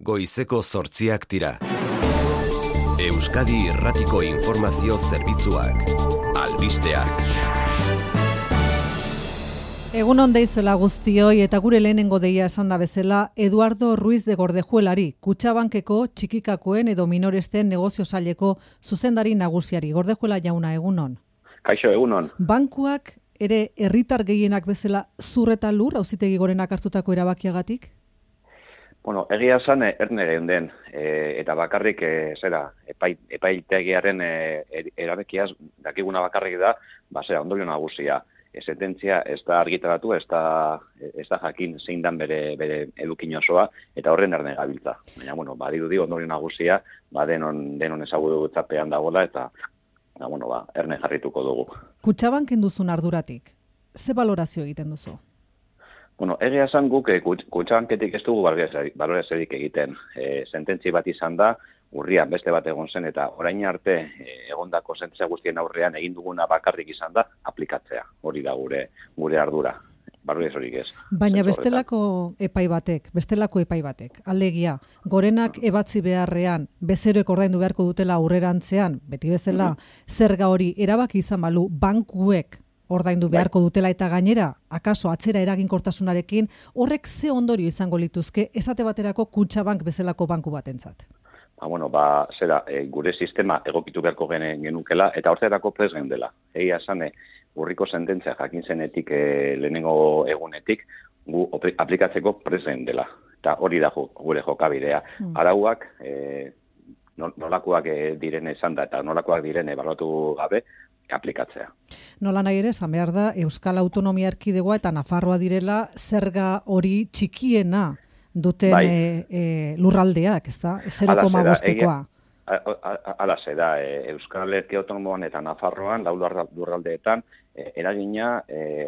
Goizeko 8:00 dira. Euskadi Irratiko Informazio Zerbitzuak. Albisteak. Egun on deizuela guztioi eta gure lehenengo deia esan da bezala Eduardo Ruiz de Gordejuelari, Kutxabankeko txikikakoen edo minoresten negozio saileko zuzendari nagusiari. Gordejuela jauna, egun on. Kaixo, egun on. Bankuak ere herritar gehienak bezala zur eta lur auzitegi gorenak hartutako erabakiagatik? Bueno, egia esan erne geunden, eta bakarrik epaitegiaren erabakiaz dakiguna bakarrik da, ondorio nagusia. Sententzia ez da argitaratu, ez da jakin zein dan bere edukin osoa, eta horren erne gabiltza. Baina, badirudi ondorio nagusia, denon ezagutzapean dagoela, eta erne jarrituko dugu. Kutxabanken duzun arduratik, ze balorazio egiten duzu? Egia esan guk Kutxabanketik ez dugu baloraziorik egiten. Sententzi bat izan da, urrian beste bat egon zen, eta orain arte egondako sententzia guztien aurrean egin duguna bakarrik izan da aplikatzea. Hori da gure ardura. Baloraziorik ez. Baina bestelako epai batek, alegia, gorenak ebatzi beharrean, bezeroek ordaindu beharko dutela aurrerantzean, beti bezala, zerga hori erabaki izan balu, bankuek ordaindu beharko dutela eta gainera, akaso atzera eraginkortasunarekin, horrek ze ondorio izango lituzke esate baterako Kutxabank bezalako banku batentzat? Gure sistema egokitu beharko genukela eta horretarako prest geundela. Egia esan, urriko sententzia jakin zenetik lehenengo egunetik, gu aplikatzeko prest geundela. Eta hori da gure jokabidea. Arauak, nolakoak diren esan da eta nolakoak diren ebaluatu gabe, aplikatzea. Nola nahi ere, esan behar da, Euskal Autonomia Erkidegoa eta Nafarroa direla zerga hori txikiena duten lurraldeak, ez da? 0,5-koa. Hala ze da, Euskal Erkidego Autonomoan eta Nafarroan, lau lurraldeetan, eragina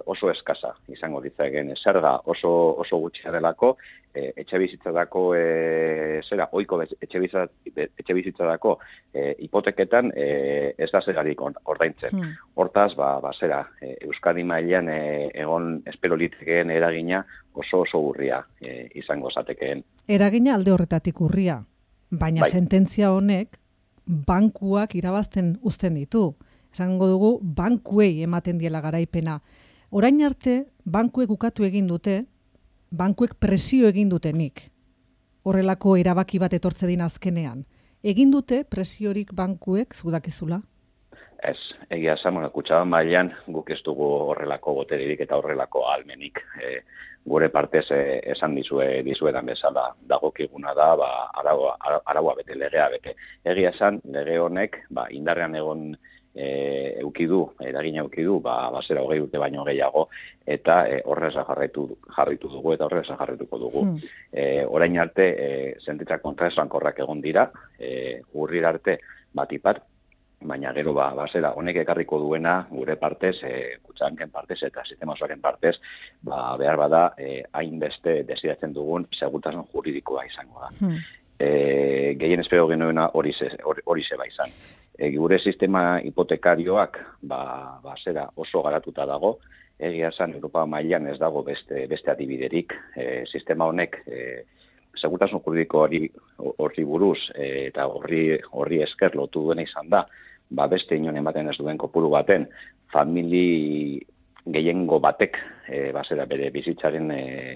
oso eskasa izango ditzaken. Zerga oso gutxia delako, etxebizitzadako ohiko etxebizitzadako hipoteketan ez da zergarik ordaintzen. Hortaz, Euskadi mailan egon espero litekeen eragina oso urria izango zatekeen. Eragina alde horretatik urria, baina sententzia honek bankuak irabazten uzten ditu. Esango dugu, bankuei ematen diela garaipena. Orain arte, bankuek ukatu egin dute, bankuek presio egin dutenik. Horrelako erabaki bat etortze din azkenean. Egin dute presiorik bankuek, zudakizula? Ez, egia esan, Kutxabank mailan guk ez dugu horrelako botererik eta horrelako ahalmenik. Gure partez esan dizuetan bezala dagokiguna da, araua bete, legea bete. Egia esan, lege honek, indarrean egon eragina eukidu, 20 urte baino gehiago, eta horreza jarritu dugu, eta horreza jarrituko dugu. Orain arte, sententzia kontraesankorrak egon dira, urrir arte batipat, baina gero honek ekarriko duena gure partez, Kutxabanken partez eta sistema osoaren partez, behar bada hainbeste desiratzen dugun segurtasun juridikoa izango da. Gehien espero genuena hori zeba izan. Gure sistema hipotekarioak oso garatuta dago, egia esan Europa mailan ez dago beste adibiderik. Sistema honek segurtasun juridiko horri buruz eta horri esker lotu duena izan da, beste inon ematen ez duen kopuru baten, famili gehiengo batek bere bizitzaren,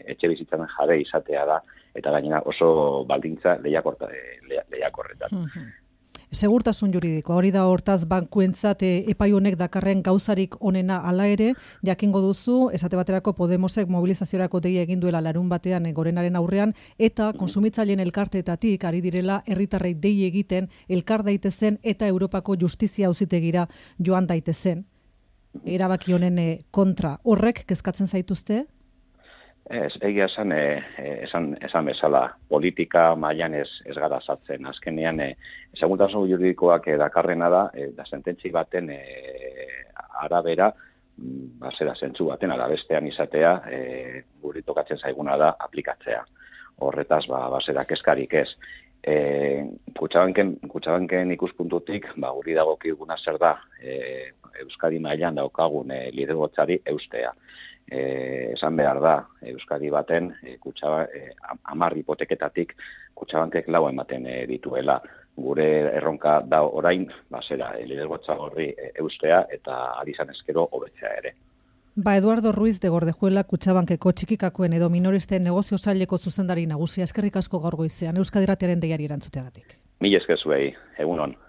etxe bizitzaren jabe izatea da, eta gainera oso baldintza lehiakorretan. Segurtasun juridikoa, hori da hortaz bankuentzat epai honek dakarren gauzarik onena hala ere, jakingo duzu, esate baterako Podemosek mobilizaziorako deia egin duela larun batean gorenaren aurrean, eta kontsumitzaileen elkarteetatik ari direla herritarrei dei egiten elkar daitezen eta Europako Justizia Auzitegira joan daitezen. Erabaki honen kontra, horrek kezkatzen zaituzte? Ez, egia esan bezala, politika mailan ez gara sartzen. Azkenean, segurtasun juridikoak dakarrena da sententzi baten arabera, zentzu baten arabestean izatea, guri tokatzen zaiguna da aplikatzea. Horretaz, kezkarik ez. Kutxabanken ikuspuntutik, guri dagokiguna zer da, Euskadi mailan daukagun lidergotzari eustea. esan behar da, Euskadi baten, 10 hipoteketatik Kutxabankek 4 ematen dituela. Gure erronka da orain, lidergotza horri eustea eta alizan ezkero hobetzea ere. Eduardo Ruiz de Gordejuela, Kutxabankeko txikikakoen edo minoristen negozio saileko zuzendari nagusia, eskerrik asko gaur goizean, Euskadi Irratiaren deiari erantzuteagatik. Mila esker zuei, egunon.